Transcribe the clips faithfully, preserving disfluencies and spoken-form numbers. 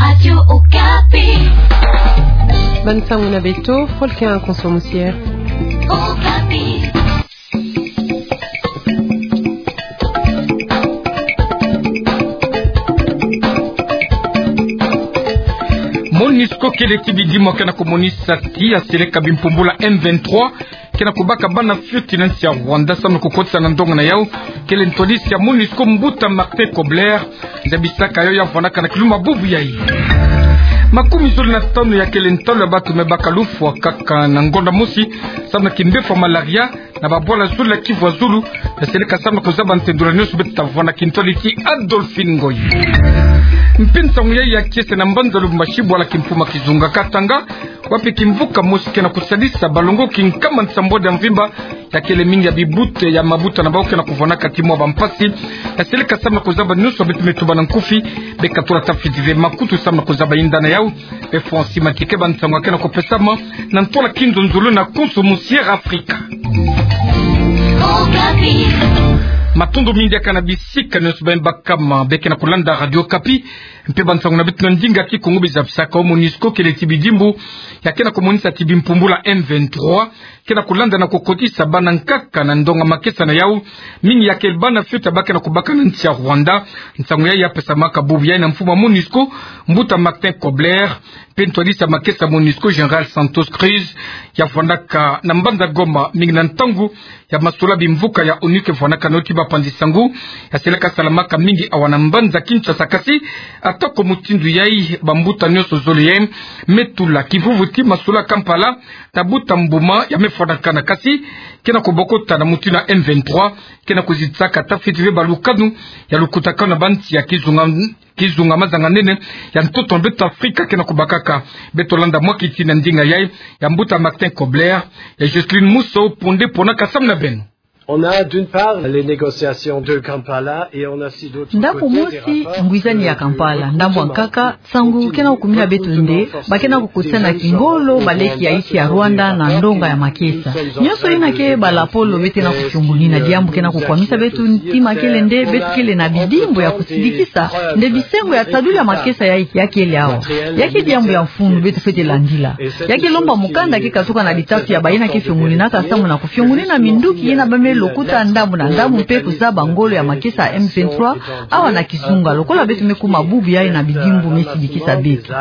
Radio Okapi. Bani nsangu na beto, Volker Nkonso Musier. Okapi. MONUSCO kele ti bidimbu ke na komonisa ti aseleka bimpumbula M vingt-trois ke na kobaka bana fioti na nsi ya Rwanda samu na kokotisa na ndonga na yau kele ntwadisi ya MONUSCO, mbuta Martin Kobler, zabisaka yau ya vwandaka na kilumbu bubu yayi. Makumi zole na tanu ya kele ntalu ya bantu me baka lufwa kaka na ngonda mosi samu na kimbefo ya malaria na babwala zole ya Kivu ya Zulu, yaseleka samu na kozaba ntendula nyonso beto ta vwanda. Kintwadi ti Adolphine Ngoy. Mpe nsangu yayi ya kiese na mbanza Lubumbashi, bwala kimfumu ya kizunga Katanga, wapi kimvuka mosi ke na kosalisa balongoki nkama nsambwadi ya mvimba, ya kele mingi ya bibute ya mabuta na bau ke na kovwandaka ti mwa bampasi. Yaseleka samu na kozaba nyonso beto me tuba na nkufi, beka tula tafiti ve makutu samu na kozaba yinda na yau. Mpe Francis Matike, bansangu ya ke na kopesama na ntwala kinzonzolo na Nkonso Musier Afrika. Matondo mingi diaka na bisika nyonso baye bakama be ke na kolanda Radio Okapi. Mpe bansangu na beto na ndinga Kikongo bizabisaka, MONUSCO kele ti bidimbu ya ke na komonisa ti bimpumbula M vingt-trois ke na kolanda na kokotisa bana nkaka na ndonga makesa na yau, mingi ya kele bana fioti ba ke na kobaka na nsi ya Rwanda. Nsangu yayi ya pesamaka bubu yayi na mfumu ya MONUSCO, mbuta Martin Kobler, mpe ntwadisi ya makesa MONUSCO, Général Santos Cruz, ya vwandaka na mbanza Goma, mingi na ntangu ya masolo ya bimvuka ya ONU ke vwandaka na yo ti bapanzi sangu. Yaseleka salamaka mingi awa na mbanza Kinshasa, kasi ata ko mutindu yayi, bambuta nyonso zole yayi me tula kivuvu ti masolo ya Kampala, ta buta mbuma ya me fwanakana, kasi ke na kobokota na mutindu ya M vingt-trois ke na kozitisaka tafiti ve balukanu ya lukutakanu na bansi ya kizunga, kizunga mazanga nene ya ntoto na beto Afrika ke na kobakaka. Beto landa mwa kiti na ndinga yayi ya mbuta Martin Kobler, ya Jocelyne Musau Ponde, pona ka samu na beno. On a, d'une part, les négociations de Kampala et on a aussi d'autres côtés des rapports. Ndambu mosi, ngwizani ya Kampala. Ndambu ya nkaka, nsangu ke na kokumina beto nde ba ke na kokotisa na kingolo baleki ya insi ya Rwanda na ndonga ya makesa. Nyonso yina ke balapolo beto ke na kofiongonina, diambu ke na kokwamisa beto ntima kele nde beto kele na bidimbu ya kosidikisa nde bisengo ya taduli ya makesa ya, ya kele awa. Ya ke diambu ya mfunu beto fwete landila. Ya ke lomba mukanda ke katuka na litatu ya bayina ke fiongoninaka samu na kofiongonina minduki yina ba me lokuta ndambu na ndambu mpe kozaba ngolo ya makesa ya M vingt-trois awa na kizunga, lokola beto me kuma bubu yayi na bidimbu me sidikisa beto.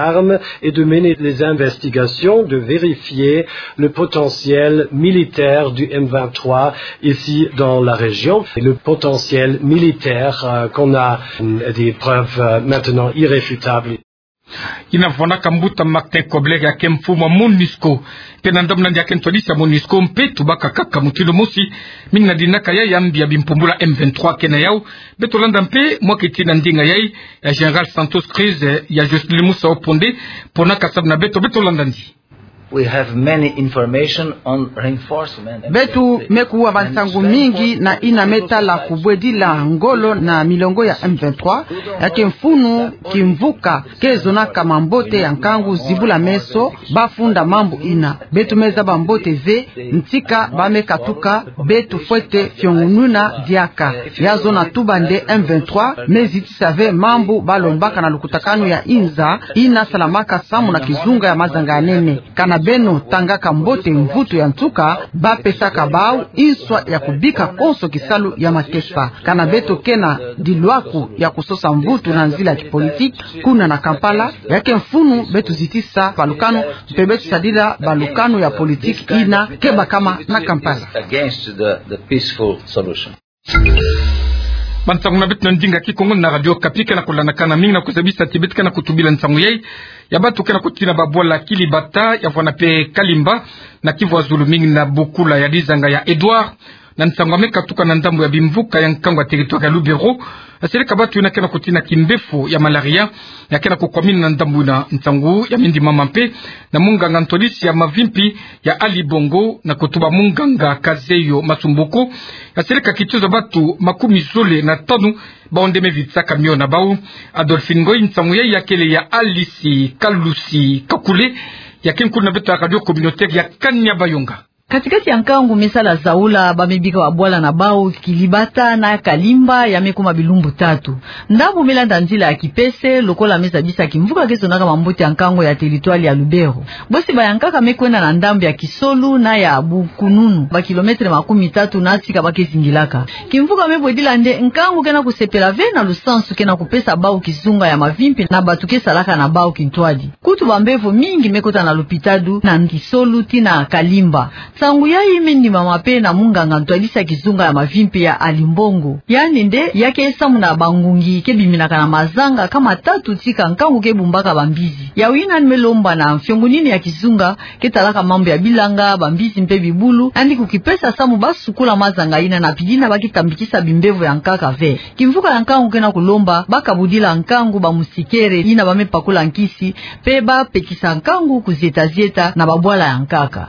Et de mener les investigations, de vérifier le potentiel militaire du M vingt-trois ici dans la région. Et le potentiel militaire, euh, qu'on a, euh, des preuves, euh, maintenant irréfutables. Yina vwandaka mbuta Martin Kobler, ya ke mfumu ya MONUSCO. Mpe na ndambu na yandi ya ke ntwadisi ya MONUSCO, mpe tubaka kaka mutindu mosi, mingi na dinaka ya yambi ya bimpumbula M vingt-trois ke na yau. Beto landa mpe mwa kiti na ndinga yayi ya Général Santos Cruz, ya Jocelyne Musau Ponde, pona ka samu na beto. Beto landa ndi. We have many information on reinforcement. Beto me kuwa bansangu mingi na yina me tala kubwedila ngolo na milongo ya M vingt-trois, ya ke mfunu kimvuka ke zonaka mambote ya nkangu zibula meso, ba funda mambu yina. Beto me zaba mbote ve ntika ba me katuka, beto fwete fiongonina diaka. Ya zona tuba nde M vingt-trois me zitisa ve mambu ba lombaka na lukutakanu ya inza yina salamaka samu na kizunga ya mazanga ya nene. Kana beno tangaka mbote mvutu ya nsuka ba pesaka bau, inswa ya kubika konso kisalu ya makesa. Kana beto ke na dilwaku ya kusosa mvutu na nzila ya kipolitiki kuna na Kampala, ya ke mfunu beto zitisa balukanu, mpe beto sadila balukanu ya politiki yina ke bakama na Kampala. Against the, the peaceful solution. Bansangu na beto na ndinga Kikongo na Radio Okapi, ke na kulandakana mingi na kuzabisa ti beto ke na kutubila nsangu yayi ya bantu ke na kutina babwala Kilibata, ya vwanda mpe Kalimba, na Kivu ya Zulu, mingi na bokula ya dizanga ya Edouard. Na nsangu ya me katuka na ndambu ya bimvuka ya nkangu ya territoire ya Lubero, ya seleka bantu yina ke na kutina kimbefo ya malaria, ya ke na kukwamina na ndambu yina. Nsangu ya me ndimama mpe na munganga ntwadisi ya mavimpi ya Ali Bongo, na kutuba munganga Kazeyo Masumbuko, ya seleka kitizo bantu makumi zole na tanu bawu nde me vitisaka mio na bawu. Adolphine Ngoyi, nsangu yayi ya kele ya Alice Kalusi Kakule, ya ke nkulu na beto ya radio communautaire ya Kanya Bayonga. Kati-kati ya nkangu me sala zaula, ba me bika babwala na bau Kilibata na Kalimba, ya me kuma bilumbu tatu. Ndambu me landa nzila ya kipese, lokola me zabisa kimvuka ke zonaka mambote ya nkangu ya teritwali ya Lubero. Bosi bayankaka me kwenda na ndambu ya Kisolu na ya Bukununu, ba kilometre makumi tatu na tika ba ke zingilaka. Kimvuka me bwedila nde nkangu ke na kusepela ve na lusansu ke na kupesa bau kizunga ya mavimpi na bato ke salaka na bau kintwadi. Kutu bambevo mingi me kota na lopitalo na Kisolu tii na Kalimba. Nsangu yayi me ndimama pe na munganga ntwadisi ya kizunga ya mavimpi ya Alimbongo. Yandi nde ya ke samu na bangungi ke biminaka na mazanga kama tatu tika nkangu ke bumbaka bambizi. Yawu yina yandi me lomba na mfiongunini ya kizunga ke talaka mambu ya bilanga, bambizi mpe bibulu, yandi kukipesa samu ba sukula mazanga yina na pidina ba ke tambikisa bimbevo ya nkaka ve. Kimvuka ya nkangu ke na kulomba ba kabudila nkangu bamusikere yina ba me pakula nkisi, mpe ba pekisa nkangu kuzieta-zieta na babwala ya nkaka.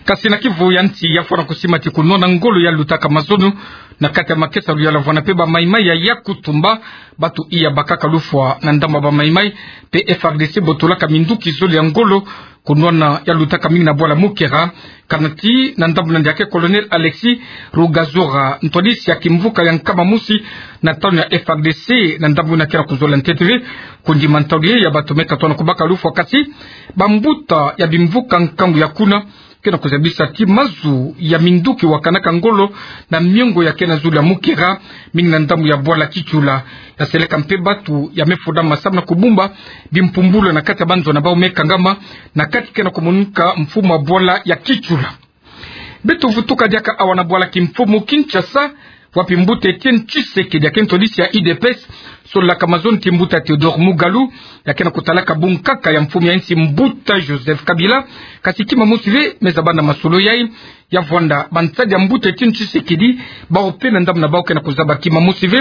Kasi na kivu ya nsi ya fwana kusima ti kunwana ngolo ya lutaka mazono na kati ya makesa luyala vwana mpe ba Maï-Maï ya Yakutumba, bato iya bakaka lufwa na ndambu ya ba Maï-Maï mpe F R D C botolaka minduki zole ya ngolo kunwana ya lutaka mingi na bwala Mukera, kana ti na ndambu na ndiake Colonel Alexis Rugazora, ntwadisi ya kimvuka ya nkama mosi na tanu ya F R D C, na ndambu na ke na kuzola ntete ve kundima ntalu ye ya bato me katwana kubaka lufwa, kasi bambuta ya bimvuka nkangu ya kuna ke na kuzabisa ti mazu ya minduki wakanaka ngolo na miongo ya ke na zulu ya Mukera, mingi na ndambu ya bwala Kitshula. Ya seleka mpe bato ya me fudama samu na kubumba bimpumbulu na kati ya banzo na bau me kangama, na kati ke na kumonika mfumu ya bwala ya Kitshula. Beto vutuka diaka awa na bwala kimfumu Kinshasa, wapi mbuta Etienne Tshisekedi ya ke ntwadisi ya U D P S, sololaka mazono ti mbuta Théodore Mugalu, ya ke na kutalaka bunkaka ya mfumu ya nsi mbuta Joseph Kabila, kasi kima mosi ve me zaba na masolo yayi, ya vwanda bansadi ya mbuta Etienne Tshisekedi, bau mpe na ndambu na bau ke na kuzaba kima mosi ve,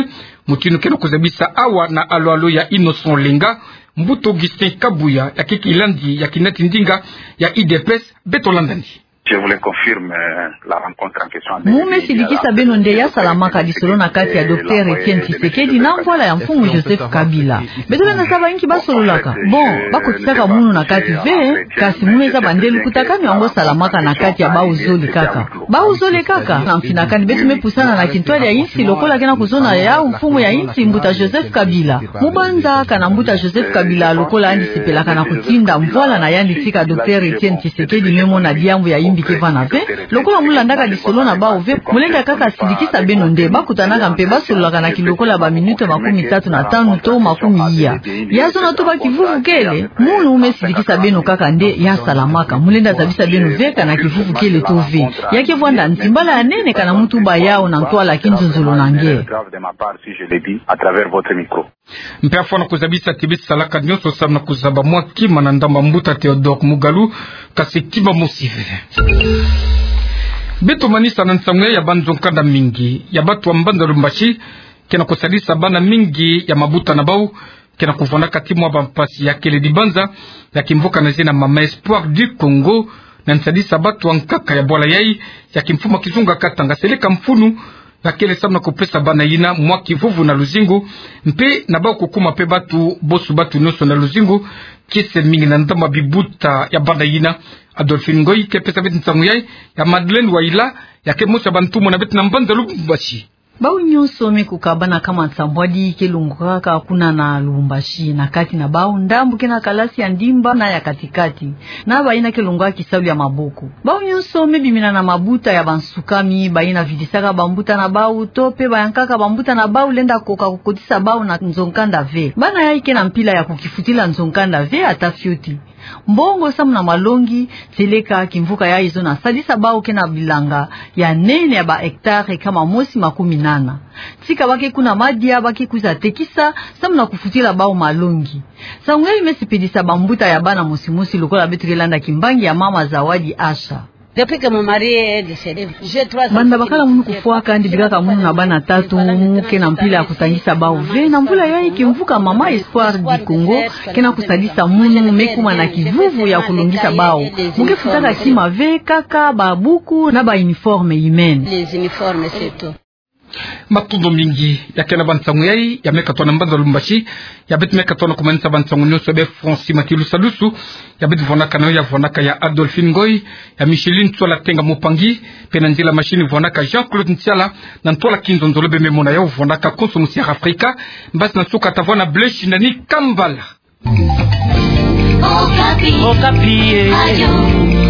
mutindu ke na kuzabisa awa na alo-alo ya Innocent Olenga, mbuta Augustin Kabuya, ya ke kilandi ya kinati ndinga ya U D P S, beto landani. Je vous le confirme, euh, la rencontre en question. Mu me sidikisa beno nde ya salamaka lisolo na kati ya Docteur Etienne Tshisekedi na mvwala ya mfumu Joseph Kabila. Beto lenda zaba inki ba sololaka. Bon, ba kotisaka munu na kati ve, kasi mu me zaba nde lukutakanu yango salamaka na kati ya bau zole kaka. Bau zole kaka, na mfinakani beto me pusana na kintwadi ya nsi lokola ke na kuzona yau mfumu ya nsi mbuta Joseph Kabila. Mu banza kana mbuta Joseph Kabila lokola yandi sepelaka na kutinda mvwala na yandi tika Docteur Etienne Tshisekedi me mona diambu ya imbi ke vana ve. Lokola mu landaka lisolo na bau ve, mu lenda kaka sidikisa beno nde ba kutanaka mpe ba sololaka na kilokola ba minute makumi tatu na tanu to makumi iya. Ya zona to ba kivuvu kele, munu mu me sidikisa beno kaka nde ya salamaka. Mu lenda zabisa beno ve kana kivuvu kele to ve. Ya ke vwanda ntimbala ya nene kana muntu baya yau na ntwala kinzonzolo na nge. Mpe afwana kuzabisa ti beto salaka nyonso samu na kuzaba mwa kima na ndambu ya mbuta Théodore Mugalu, kasi kima mosi ve. Beto manisa na nsangu ya banzo nkanda mingi ya bato ya mbanza Lubumbashi ke na kusalisa bana mingi ya mabuta na bau ke na kuvwandaka ti mwa bampasi ya kele dibanza ya kimvuka na zina Mama Espoir du Congo, na nsalisa bato ya nkaka ya bwala yayi ya kimfumu ya kizunga Katanga. Seleka mfunu ya kele samu na kupesa bana yina mwa kivuvu na luzingu, mpe na bau kukuma mpe bato bosu, bato nyonso na luzingu, kiese mingi na ndambu ya bibuta ya bana yina. Adolphine Ngoyi ke pesa beto nsangu yayi, ya Madeleine Wayila, ya ke mosi ya bantumwa na beto na mbanza Lubumbashi. Bau nyonso me kukabana kama nsambwadi ke longokaka kuna na Lubumbashi, na kati na bau ndambu ke na kalasi ya ndimba na ya kati-kati, na bayina ke longoka kisalu ya maboko. Bau nyonso me bimina na mabuta ya bansukami, bayina vidisaka bambuta na bau to mpe bayankaka bambuta na bau lenda koka kukotisa bau na nzo-nkanda ve. Bana yayi ke na mpila ya kukifutila nzo-nkanda ve ata fioti. Mbongo samu na malongi, seleka kimvuka yayi zona sadisa bau ke na bilanga ya nene ya ba hectare kama mosi makumi nana. Tika ba ke kuna madia, ba ke kwiza tekisa samu na kufutila bau malongi. Nsangu yayi me sepelisa bambuta ya bana mosi-mosi lokola beto ke landa kimbangi ya Mama Zawadi Asha. Banda bakala munu kufwaka, yandi bikaka munu na bana tatu, mu ke na mpila ya kutangisa bau ve. Na mvula yayi kimvuka Mama Espoir du Congo ke na kusalisa munu, me kuma na kivuvu ya kulongisa bau. Mu ke futaka kima ve, kaka babuku na ba uniforme yimene. Matondo mingi. Ya kena ba nsangu yai, ya meka tona mbanza Lubumbashi, ya bete meka tona ko manisa ba nsangu nyonso be Francis Matilusa Lusu, ya bete vonaka na yo, ya vonaka ya Adolphine Ngoy, ya Micheline Tsola Tenga Mupangi, pe na nzila machine vonaka Jean-Claude Ntiala, na ntwala kinzonzolo be me mona yo vonaka Konso Musiara Afrika, mbasi na nsuka tavwanda Blaise Shindani Kambala. Okapi. Okapi, eh. Radio.